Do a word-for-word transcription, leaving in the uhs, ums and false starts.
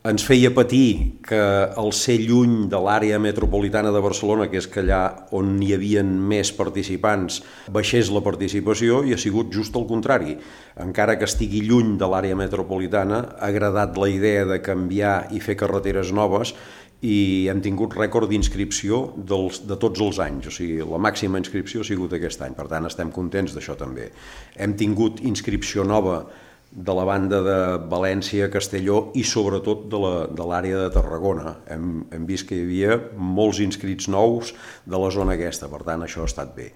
Ens feia patir que al ser lluny de l'àrea metropolitana de Barcelona, que és que allà on hi havia més participants, baixés la participació, i ha sigut just el contrari. Encara que estigui lluny de l'àrea metropolitana, ha agradat la idea de canviar i fer carreteres noves, i hem tingut rècord d'inscripció dels, de tots els anys, o sigui, la màxima inscripció ha sigut aquest any, per tant estem contents d'això també. Hem tingut inscripció nova de la banda de València, Castelló i sobretot de l'àrea de Tarragona. Hem, hem vist que hi havia molts inscrits nous de la zona aquesta, per tant això ha estat bé.